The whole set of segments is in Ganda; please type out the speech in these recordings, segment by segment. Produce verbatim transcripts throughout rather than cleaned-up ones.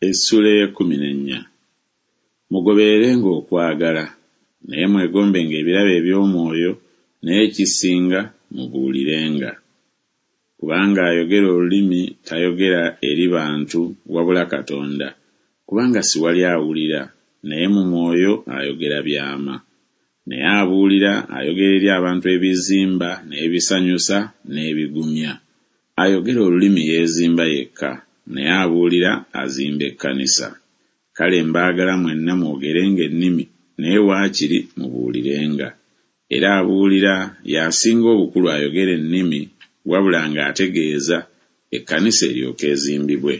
Essuula ey'ekkumi n'ennya. Mugobererenga okwagala, naye mwegombenga ebirabo eby'omwoyo, naye ekisinga mubuulirenga. Kubanga ayogera olulimi tayogera eri bantu wabula Katonda, kubanga siwali awulira, naye mu mwoyo ayogera byama. Naye abuulira ayogera eri abantu ebizimba n'ebisanyusa n'ebigumya. Ayogera olulimi yeezimba yekka, naye abuulira azimba ekkanisa. Kale mbaagala mwenna mwogerenga ennimi, naye waakiri mubuulirenga. Era abuulira y'asinga obukulu ayogera ennimi, wabula ng'ategeeza, ekkanisa eryoke ezimbibwe.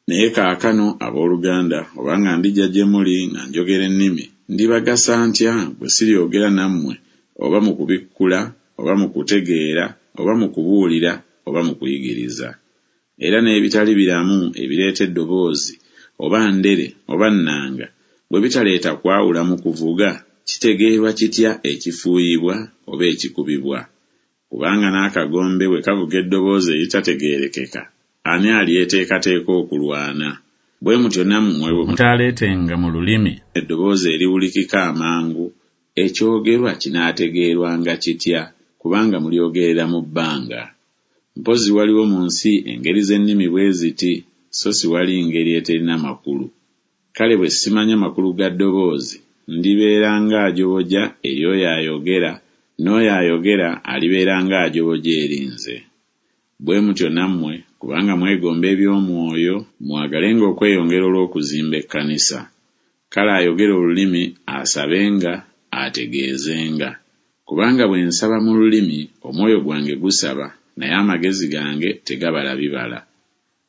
Naye kaakano abooluganda, obanga ndijja gye muli nga njogera ennimi, ndibagasa ntya bwe siryogera nammwe, oba mu kubikkula, oba mu kutegeera, oba mu kubuulira, oba mu kuyigiriza? Era n'ebitali biramu ebireeta eddoboozi, oba ndere, oba nnanga, bwe bitaleeta kwawula mu kuvuga, kitegeerwa kitya ekifuuyibwa oba ekikubibwa? Kubanga n'akagombe bwe kavuga eddoboozi eritategeerekeka, ani alyeteekateeka okulwana? Bwe mutyo nammwe bwe mutaaleetenga mu lulimi eddoboozi eriwulikika amangu, ekyogerwa kinaategeerwanga kitya? Kubanga mulyogerera mu bbanga. Mpozzi waliwo mu nsi engeri z'ennimi bwe ziti, so siwali ngeri eterina makulu. Kale bwe simanya makulu ga ddoboozi, ndibeera ng'ajoboja eri oyo ayogera, n'oyo ayogera alibeera ng'ajoboja eri nze. Bwe mutyo nammwe, kubanga mwegomba eby'omwoyo, mwagalenga okweyongera olw'okuzimba ekkanisa. Kale ayogera olulimi asabenga, ategeezenga. Kubanga bwe nsaba mu lulimi, omwoyo gwange gusaba, naye amagezi gange tegabala bibala.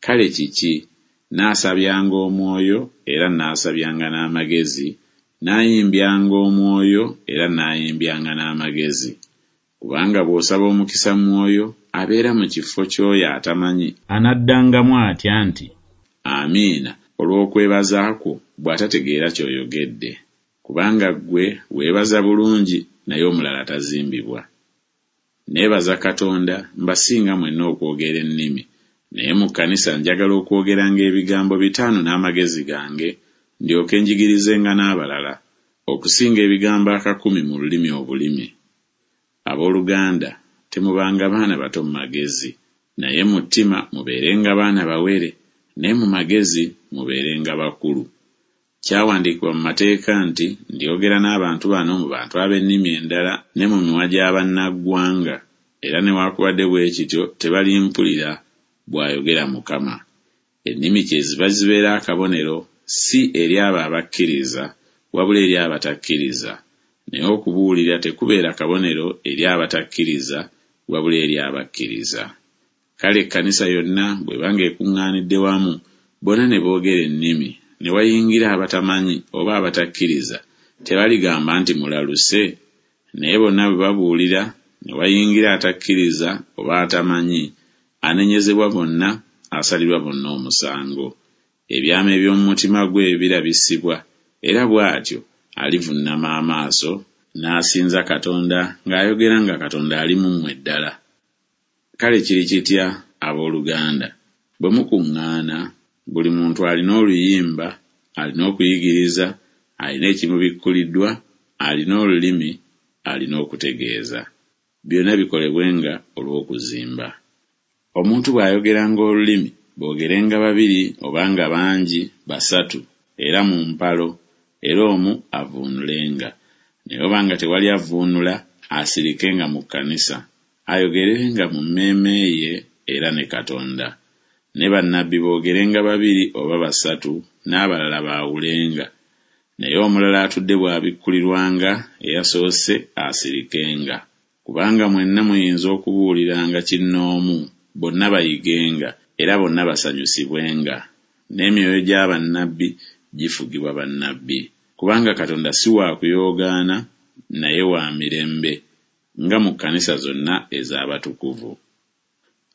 Kale kiki? Naasabyanga omwoyo, era naasabyanga n'amagezi, naayimbyanga omwoyo, era naayimbyanga n'amagezi. Kubanga bw'osaba omukisa mu mwoyo, abeera mu kifo ky'oyo atamanyi, anaddangamu atya nti, Amiina, olw'okwebaza kwo, bw'atategeera ky'oyogedde? Kubanga ggwe weebaza bulungi, naye omulala tazimbibwa. Neebaza Katonda mbasinga mwenna okwogera ennimi, naye mu kkanisa njagala okwogeranga ebigambo bitaano n'amagezi gange, ndyoke njigirizenga n'abalala, okusinga ebigambo akakumi mu lulimi obulimi. Abooluganda, temubanga baana bato mu magezi, naye mu ttima mubeerenga baana bawere, naye mu magezi mubeerenga bakulu. Kyawandiikibwa mu mateeka nti, Ndyogera n'abantu bano mu bantu ab'ennimi endala ne mu mimwa gya bannaggwanga, era newaakubadde bwe kityo tebalimpulira, bw'ayogera Mukama. Ennimi kyeziva zibeera akabonero, si eri abo abakkiriza, wabula eri abatakkiriza. Naye okubuulira tekubeera kabonero eri abatakkiriza, wabula eri abakkiriza. Kale ekkanisa yonna bw'ebanga ekuŋŋaanidde wamu, bonna ne boogera ennimi, ne wayingira abatamanyi oba abatakkiriza, tebaligamba nti mulaluse? Naye bonna bwe babuulira, ne wayingira atakkiriza oba atamanyi, anenyezebwa bonna, asalirwa bonna omusango. Ebyama eby'omu mutima gwe birabisibwa, era bw'atyo alivunnama amaaso, n'asinza Katonda ng'ayogera nga Katonda ali mu mmwe ddala. Kale kiri kitya, abooluganda, bwe mukuŋŋaana, buli muntu alina oluyimba, alina okuyigiriza, alina ekimubikkuliddwa, alina olulimi, alina okutegeeza. Byonna bikolebwenga olw'okuzimba. Omuntu bw'ayogeranga olulimi, boogerenga babiri oba nga bangi basatu, era mu mpalo, era omu avvuunulenga. Naye oba nga tewali avvuunula, asirikenga mu kkanisa, ayogerenga mu mmeeme ye era ne Katonda. Ne bannabbi boogerenga babiri oba basatu, n'abalala baawulenga. Naye omulala atudde bw'abikkulirwanga, eyasoose asirikenga. Kubanga mwenna muyinza okubuuliranga kinnoomu, bonna bayigenga, era bonna basanyusibwenga. N'emyoyo gya bannabbi gifugibwa bannabbi. Kubanga Katonda si wa kuyoogaana, naye wa mirembe, nga mu kkanisa zonna ez'abatukuvu.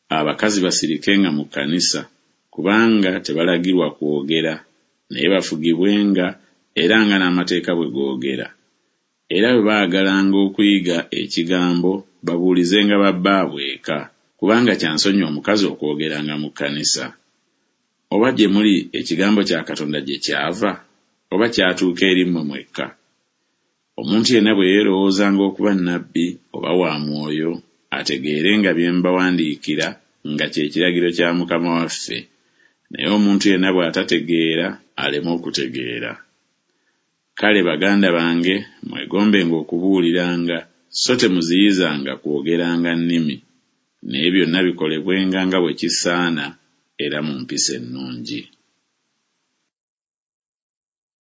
Abakazi basirikenga mu kkanisa, kubanga tebalagirwa kwogera, naye bafugibwenga era nga n'amateeka bwe googera. Era bwe baagalanga okuyiga ekigambo, babuulizenga babbaabwe eka, kubanga kya nsonyi omukazi okwogeranga mu kkanisa. Oba gye muli ekigambo kya Katonda gye kyava, oba kyatuuka eri mmwe mwekka? Omuntu yenna bwe yeerowoozanga okuba nnabbi oba wa mwoyo, ategeere nga bye mbawandiikira nga kye kiragiro kya Mukama waffe. Naye omuntu yenna bw'atategeera, aleme okutegeera. Kale baganda bange, mwegombenga okubuuliranga, so temuziyizanga kwogeranga nnimi. Naye byonna bikolebwenga nga bwe kisaana era mu mpisa ennungi.